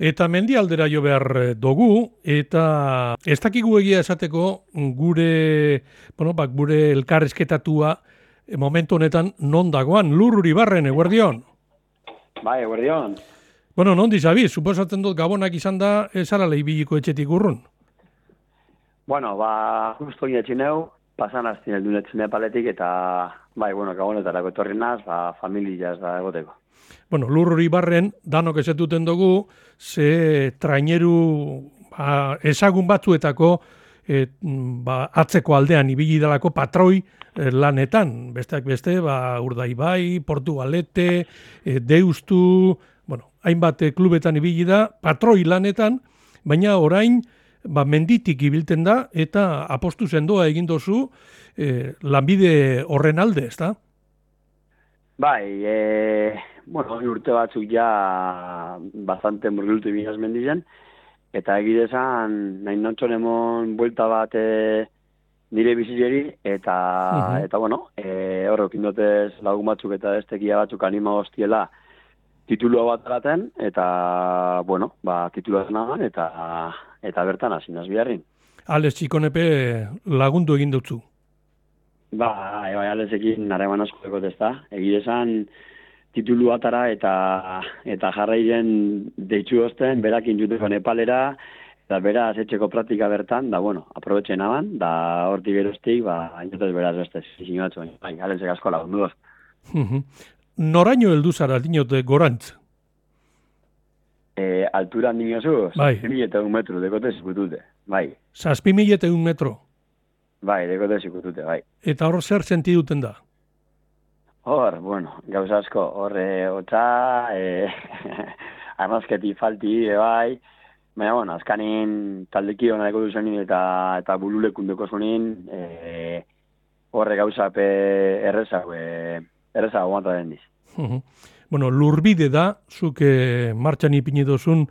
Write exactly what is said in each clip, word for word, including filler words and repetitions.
Eta mendialdera jo behar dugu, eta ez dakigu egia esateko gure, bueno, bak, gure elkarrezketatua momentu honetan non dagoan, Lurruri barren, eguerdion? Bai, eguerdion. Bueno, non dizabiz, suposatzen dut gabonak izan da, esarala ibiliko etxetik urrun? Bueno, ba, justo inetxineu, pasan aztien eldu netxine paletik, eta, bai, bueno, gabonetarako etorri naz, ba, familia ez da egoteko. Bueno, Lurruri barren, danok ezetuten dugu, ze traineru ba, ezagun batzuetako e, ba, atzeko aldean ibili dalako patroi e, lanetan. Besteak beste, ba, Urdaibai, Portugalete, e, Deustu, bueno, hainbat klubetan ibili da, patroi lanetan, baina orain ba, menditik ibilten da eta apostu sendoa egin dozu e, lanbide horren alde, ezta? Bai, e, bueno, urte batzuk ja bastante murgiltu binaz mendizen, eta egidezan nahi nontxon emon buelta bat e, nire bizitzeri, eta, uh-huh. eta bueno, e, horrek indotez lagun batzuk eta estekia batzuk anima hostiela titulua bat araten, eta, bueno, ba, titulua zenagan, eta, eta bertan hasi naz biharrin. Alex Txikonepe lagundu egin dutzu. Ba, bai, Alexekin nareman asko dekot ez da. Egidezan titulu atara eta eta jarrairen deitzu osten, berakin juteko Nepalera, eta beraz etxeko praktika bertan, da, bueno, aprobetxen aban, da hortik geroztik, ba, hainotez beraz beste, zizin batzu, bai, Alexek asko lagundu doz. Noraino heldu zara, dinote, gorantz? E, altura dinozu, bai. zazpi mila eta un metro, dekote zikutute, bai. Zazpi mila eta un metro? Bai, dekote zikutute, bai. Eta hor zer senti duten da? Hor, bueno, gauza asko, hor, e, otza, e, arnazketi falti, e, bai, baina, bueno, azkanin taldeki hona deko duzenin eta, eta bululekundeko zunin, e, horre gauza pe errezago, e, errezago guanta den diz. Bueno, lurbide da, zuk e, martxan ipini dozun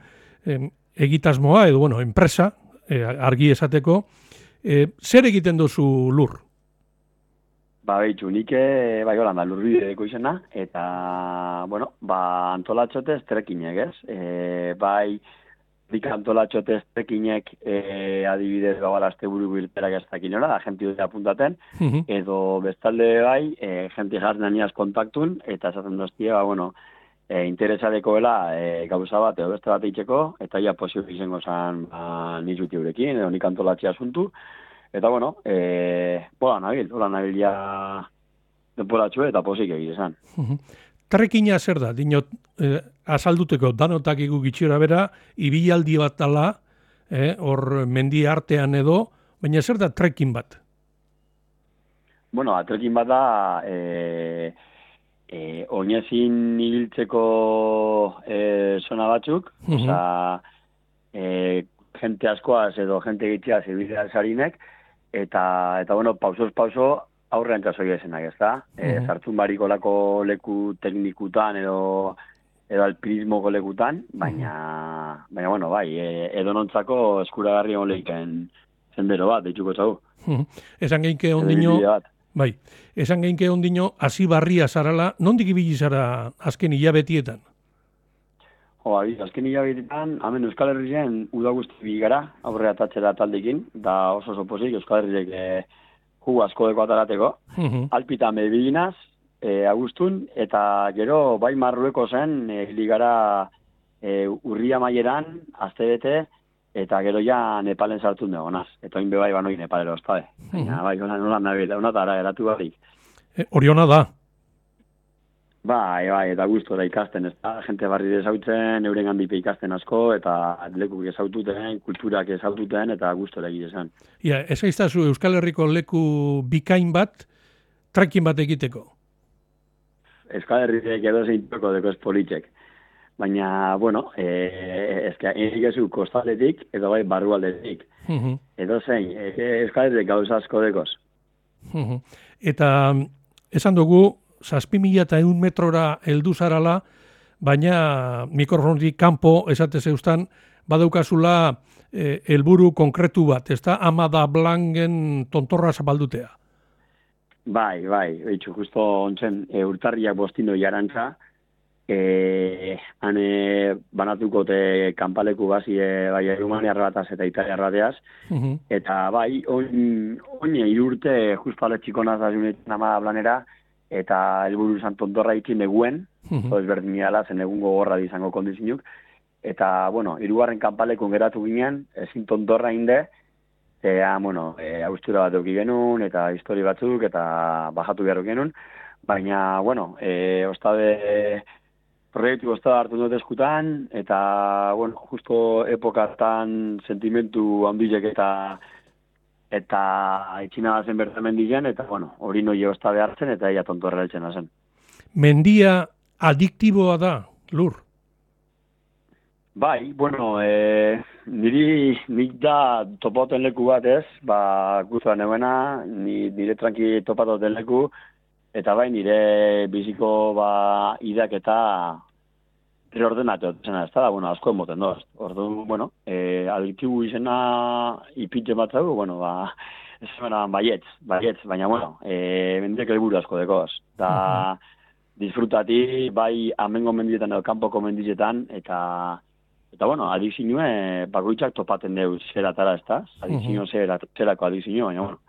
e, egitasmoa, edo, bueno, enpresa, e, argi esateko, e, zer egiten dozu lur? Ba, behitxu, nik bai holan da, lurbide deko izena, eta, bueno, ba, antolatxotez trekinek, ez? E, bai, dik antolatxotez trekinek e, adibidez gabala azte buru bilperak ez dakin nola, da, jenti dute apuntaten, uh-huh. edo bestalde bai, e, jenti jartzen aniaz kontaktun, eta esaten doztie, ba, bueno, e, interesadekoela e, gauza bat, edo beste bat eitzeko, eta ja posio izango zan ba, nizuti eurekin, edo nik antolatxia asuntu, eta, bueno, e, hola nabil, hola nabil ja denporatxue eta posik egizan. Uh-huh. Trekina zer da, dinot, eh, azalduteko danotak igu gitxera bera, ibilaldi bat dala, eh, hor mendi artean edo, baina zer da trekin bat? Bueno, trekin bat da, e, e, oinezin ibiltzeko e, zona batzuk, uh-huh. oza, e, jente askoaz edo jente gitxeaz ibiltzea zarinek, eta, eta bueno, pausoz pauso, aurrean txasoi esenak, ez da? Uh-huh. E, zartzun bariko lako leku teknikutan edo, edo alpinismoko lekutan, baina, uh-huh. baina bueno, bai, e, edo nontzako eskuragarri hon lehiken zendero bat, deitzuko txau. Uh-huh. Esan geinke ondino, bai, esan geinke ondino, hasi barria zarala, nondik ibili zara azken hilabetietan? Jo, abi, azken hilabetietan, hemen Euskal Herrien uda guzti bigara, aurre atatzera taldekin, da oso oso pozik, Euskal Herriek e, jugu asko deko atarateko. Uh-huh. Alpitan bebiginaz, e, agustun, eta gero bai Marrueko zen, e, ligara e, urria maieran, azte bete, eta gero ja Nepalen sartun dugu, naz. Eta oin bebai banoi Nepalero, oztabe. Uh-huh. Bai, nola nola nabil, hona eta ara eratu barik. E, Oriona da. Bai, bai, eta guztu da ikasten, ez da, jente barri desautzen, euren handipe ikasten asko, eta lekuk ezaututen, kulturak ezaututen, eta guztu da egitezen. Ia, ez aiztazu Euskal Herriko leku bikain bat, trekin bat egiteko? Euskal Herriek edo zeintoko deko espolitxek. Baina, bueno, e, ezka, egikezu kostaletik, edo bai barrualdetik. Uh-huh. Edo zein, e, Euskal Herriek gauza asko dekoz. Uh-huh. Eta esan dugu, zazpi mila eta eun metrora heldu zarala, baina mikrofonik kanpo esate zeustan, badaukazula eh, helburu konkretu bat, ez da, ama da blangen tontorra zabaldutea. Bai, bai, behitxu, justo ontzen e, urtarriak bostino jarantza, e, hane banatuko te kanpaleku bazi e, bai Rumaniar bataz eta Italiar bateaz, Mhm. eta bai, oin, oin irurte juspale txikonaz da junetan ama blanera, eta helburu izan tontorra ikin neguen, Mhm. zo ezberdin gala, zen egun gogorra izango kondizinuk, eta, bueno, hirugarren kanpalekun geratu ginen, ezin tontorra inde, eta, bueno, e, austura bat euki genuen, eta histori batzuk, eta bajatu behar genuen, baina, bueno, e, ostabe, proiektu ostabe hartu dut eskutan, eta, bueno, justo epokatan sentimentu handilek eta eta itxina bazen bertan mendigen, eta, bueno, hori noi ostabe hartzen, eta ia tontorra eltzen zen. Mendia adiktiboa da, Lur? Bai, bueno, e, niri nik da topauten leku bat ez, ba, guztua neuena, ni, nire tranqui topatoten leku, eta bai nire biziko ba, idak eta reordenatu zena, ez da, bueno, asko emoten doz. Orduan, bueno, e, adiktibu izena ipitxe bat zau, bueno, ba, ez zena baietz, baietz, baina, bueno, e, mendiek helburu asko dekoz. Da, disfrutati, bai, amengo mendietan edo kanpoko mendietan, eta Eta, bueno, adikzinue, bakoitzak topaten deu zeratara, ez da? Adikzino zera, zerako adikzino, baina, bueno,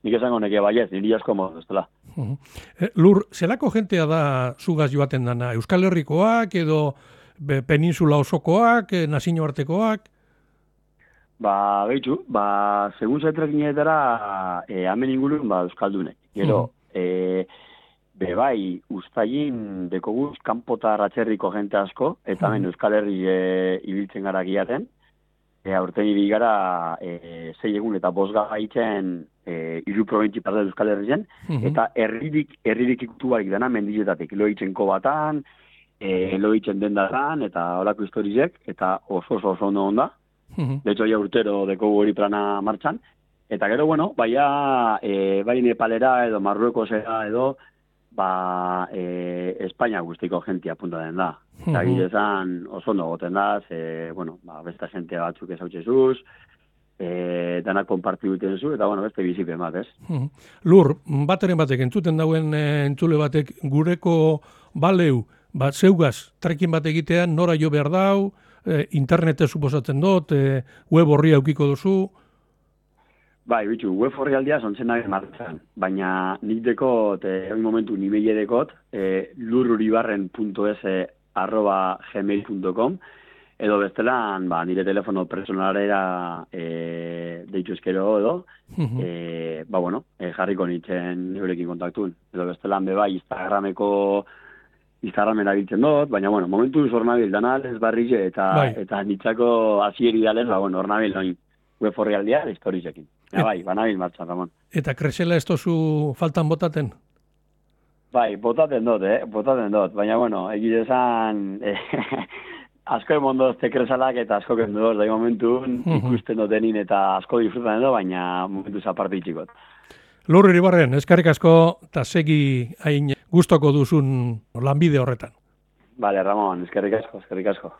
nik esango neke baiet, niri asko modu, ez dela. Eh, Lur, zelako jentea da zugaz joaten dana? Euskal Herrikoak edo be, peninsula osokoak, eh, nazioartekoak? Ba, behitxu, ba, segun zaitrekinetara, e, hamen ingurun, ba, Euskaldunek. Gero, e, be bai, ustagin dekoguz kanpota ratxerriko jente asko, eta hemen Euskal Herri e, ibiltzen gara giaten, e, aurten ibil gara e, zei egun eta bosga gaitzen e, iru probintzi parte Euskal Herrien, eta herririk, herririk ikutu barik dena mendizetatik, loitzenko batan, e, loitzen dendatan, eta holako historizek, eta oso oso oso ondo onda. De hecho, ja urtero dekogu hori plana martxan, eta gero, bueno, baia, e, bai Nepalera edo Marruekosera edo, ba, e, Espainia guztiko jentia punta den da. Eta gilezan oso ondo goten da, ze, bueno, ba, besta jentia batzuk ezautxezuz, e, danak konparti duten zu, eta, bueno, beste bizipen bat, ez? Lur, bateren batek, entzuten dauen e, entzule batek, gureko baleu, bat zeugaz, trekin bat egitean, nora jo behar dau, e, internete suposatzen dut, e, web horri aukiko duzu. Bai, bitxu, web horri aldia zontzen nahi martzan, baina nik dekot, e, hori momentu nimeile dekot, e, lururibarren punto es arroba gmail punto com, edo bestelan, ba, nire telefono personalera e, deitu eskero edo, e, ba, bueno, e, jarriko nintzen eurekin kontaktun. Edo bestelan, be bai, Instagrameko Instagramen abiltzen dut, baina, bueno, momentu zor nabil, danal ez barrize, eta, bai. eta nitzako azieri dalen, ba, bueno, hor nabil, noin, web horri aldia, historizekin. Ja, bai, banabil martxan, Ramon. Eta kresela ez tozu faltan botaten? Bai, botaten dut, eh? Botaten dut, baina, bueno, egite esan, eh, asko emondoz tekresalak eta asko kendoz, da momentu ikusten dutenin eta asko disfrutan edo, baina momentu zaparte itxikot. Lur Iribarren, eskarrik asko, eta segi hain gustoko duzun lanbide horretan. Vale, Ramon, eskerrik asko, eskerrik asko.